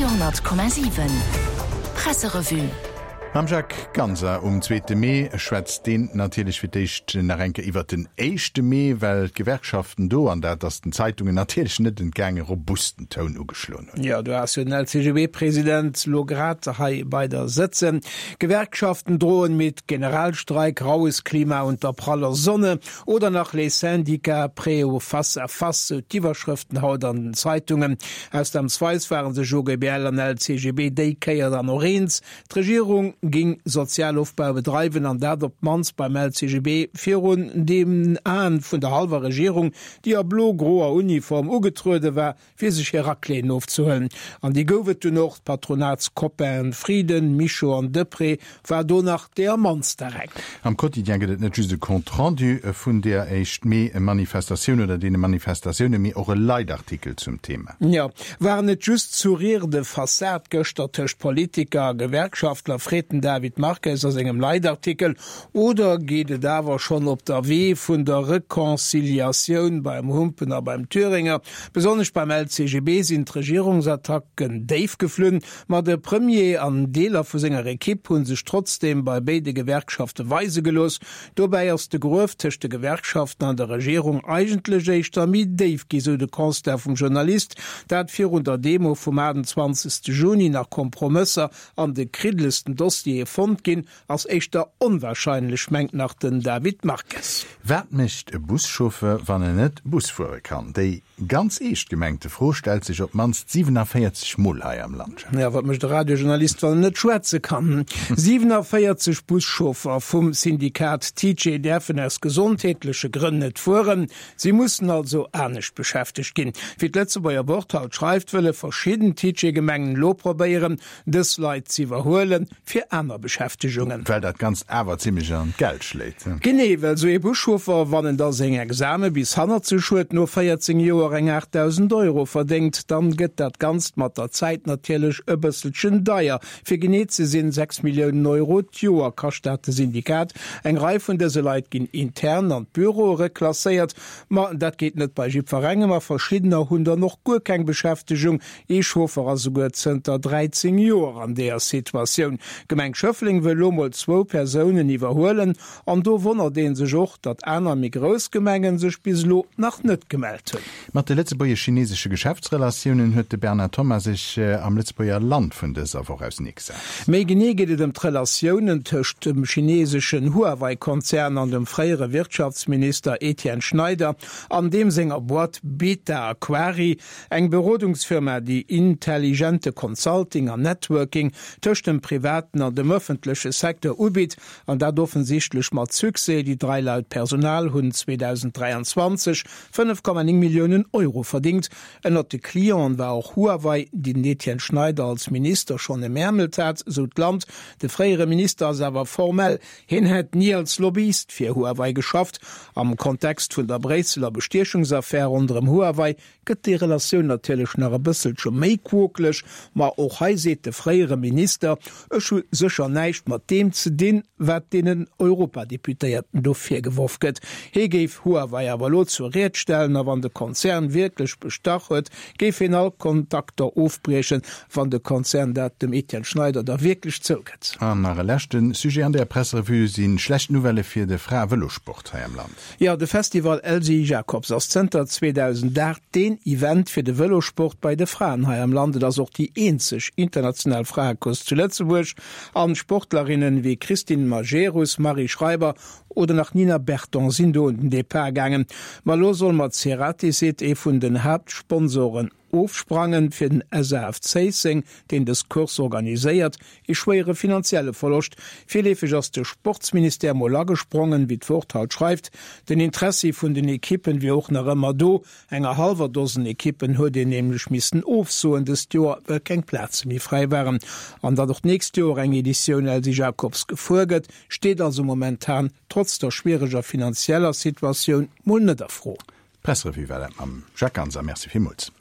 Radio 10,7 Presserevue. Mam Jacques Ganser um zweete Mee schwätzt deen natierlech fir d'éischt nach eng Kéier iwwert den éischte Mee, well d'Gewerkschaften do, an dat ass den Zeitungen natierlech net entgaangen, robusten Toun ugeschloen hunn. Jo, do ass jo den LCGB-President lo grad hei bei der sëtzen. Gewerkschaften drohen mit Generalstreik, raues Klima unter praller Sonne oder nach Les syndicats prêts au face à face, sou d'Iwwerschrëften haut an den Zeitungen. Ausnamsweis ware sech OGBL an LCGB déi Kéier dann och eens, D'Regierung ging Sozialofbau bedreiwen, an dat op d'mannst beim LCGB virun den Aen vun der hallwer Regierung, déi a blo-groer Uniform ugetruede war, fir sech hir Racléen ofzehuelen. An déi gouf et dunn och, d'Patronatscopainen Frieden, Mischo an Deprez war do nach deeër mannster eng. Am Quotidien gëtt et net just e Compte rendu vun deer éischt Mee-Manifestatioun oder deene Manifestatiounen, mee och e Leitartikel zum Thema. Jo, waren et just Sourires de façade gëschter tëscht Politiker a Gewerkschaftler, freet den David Marques a sengem Leitartikel. Oder geet et awer schonn op der Wee vun der Reconciliatioun beim Humpen a beim Thüringer? Besonnesch beim LCGB sinn d'Regierungsattacken déif geflunn, ma de Premier an Deeler vu senger Ekipp hu sech trotzdeem bei béide Gewerkschafte weise gelooss. Dobäi ass de Gruef tëscht de Gewerkschaften an der Regierung eigentlech éischter méi déif gi, sou de Constat vum Journalist. Dat virun der Demo vum 28 Juni nach Kompromësser an de kriddelesten Dossiere fonnt ginn, Ass éischter onwahrscheinlech, mengt nach den David Marques. Wat mécht e Buschauffeur, wann en net Bus fuere kann? Déi ganz eescht gemengte Fro stellt sech op d'mannst 47 Mol hei am Land. Jo, wat mécht e Radiojournalist, wann en net schwätze kann? 47 Buschauffer vum Syndikat TICE däerfen aus gesondheetleche Grënn net fueren. Si mussen also anescht beschäftegt ginn. Wéi d'Lëtzebuerger Wort haut schreift, wëlle verschidden TICE-Gemengen elo probéieren, dës Leit z'iwwerhuelen. fir aner Beschäftegungen. Well dat Ganzt awer zimlech an d'Geld schléit. Genee, well sou ee Buschauffer, wann en da seng Exame bis hannert sech huet, no 14 Joer eng 8.000 Euro verdéngt, dann gëtt dat Ganzt mat der Zäit natierlech e bësselchen deier. Fir genee ze sinn, 6 Milliounen Euro d'Joer kascht dat de Syndikat. Eng Rei vun dëse Leit ginn intern an d'Büroe reklasséiert, ma dat geet net bei jiddwerengem a verschiddener hunn dann och guer keng Beschäftegung. Ee Chauffer ass esouguer zënter 13 Joer an deeër Situatioun. D'Gemeng Schëffleng wëll elo mol zwou Persounen iwwerhuelen an do wonnert ee sech och, datt aner méi grouss Gemengen sech bis elo nach net gemellt hunn. Mat de lëtzebuergesch-chinesesche Geschäftsrelatiounen huet de Bernard Thomas sech am Lëtzebuerger Land vun dëser Woch auseneegesat. Méi genee geet et ëm d'Relatiounen tëscht dem chineseschen Huawei-Konzern an dem fréiere Wirtschaftsminister Etienne Schneider an deem senger Boîte Beta Aquarii. Eng Berodungsfirma, déi intelligente Consulting an Networking tëscht dem privaten an dem ëffentleche Secteur ubitt, an dat offensichtlech mat Succès. Déi 3 Leit Personal hunn 2023 5,9 Milliounen Euro verdingt. Ënnert de Clienten war och Huawei, déi den Etienne Schneider als Minister schonn emärmelt hat, sou d'Land. De fréiere Minister ass awer formell Hien hätt ni als Lobbyist fir Huawei geschafft. Am Kontext vun der Bréisseler Bestiechungsaffär ronderëm Huawei gëtt déi Relatioun natierlech nach e bësselche méi quokeleg. Ma och hei seet de fréiere Minister, Ech hu sécher näischt mat deem ze dinn, wat deenen Europadeputéierten do virgeworf gëtt. Hie géif Huawei awer elo zur Ried stellen a wann de Konzern wierklech bestach huet, géif hien all Kontakter ofbriechen, wann de Konzern dat dem Etienne Schneider da wierklech zougëtt. An nach e leschte Sujet an der Presserevue si schlecht Nouvellë fir de Frae-Vëlosport hei am Land. Jo, de Festival Elsy Jacobs ass zënter 2008 deen Event fir de Vëlosport bei de Fraen hei am Land. Et ass och déi eenzeg international Fraecourse zu Lëtzebuerg an Sportlerinnen wéi Christine Majerus, Marie Schreiber oder nach Nina Berton sinn do un den Depart gaangen. Ma elo soll mat Ceratizit ee vun den Haaptsponsoren ofsprangen. Fir den SAF Zéisseng, deen dës Course organiséiert, ee schwéiere finanzielle Verloscht. Virleefeg ass de Sportsministère mol agesprongen, wéi d'Wort haut schreift. Den Interessi vun den Ekippen wier och nach ëmmer do. Enger hallwer Dosen Ekippen huet een nämlech missen ofsoen dëst Joer, well keng Plaze méi fräi waren. An datt och d'nächst Joer eng Editioun Elsy Jacobs gefuer gëtt, steet also momentan, trotz der schwiereger finanzieller Situatioun, mol net a Fro. D'Presserevue war dat mam Jacques Ganser. Merci villmools.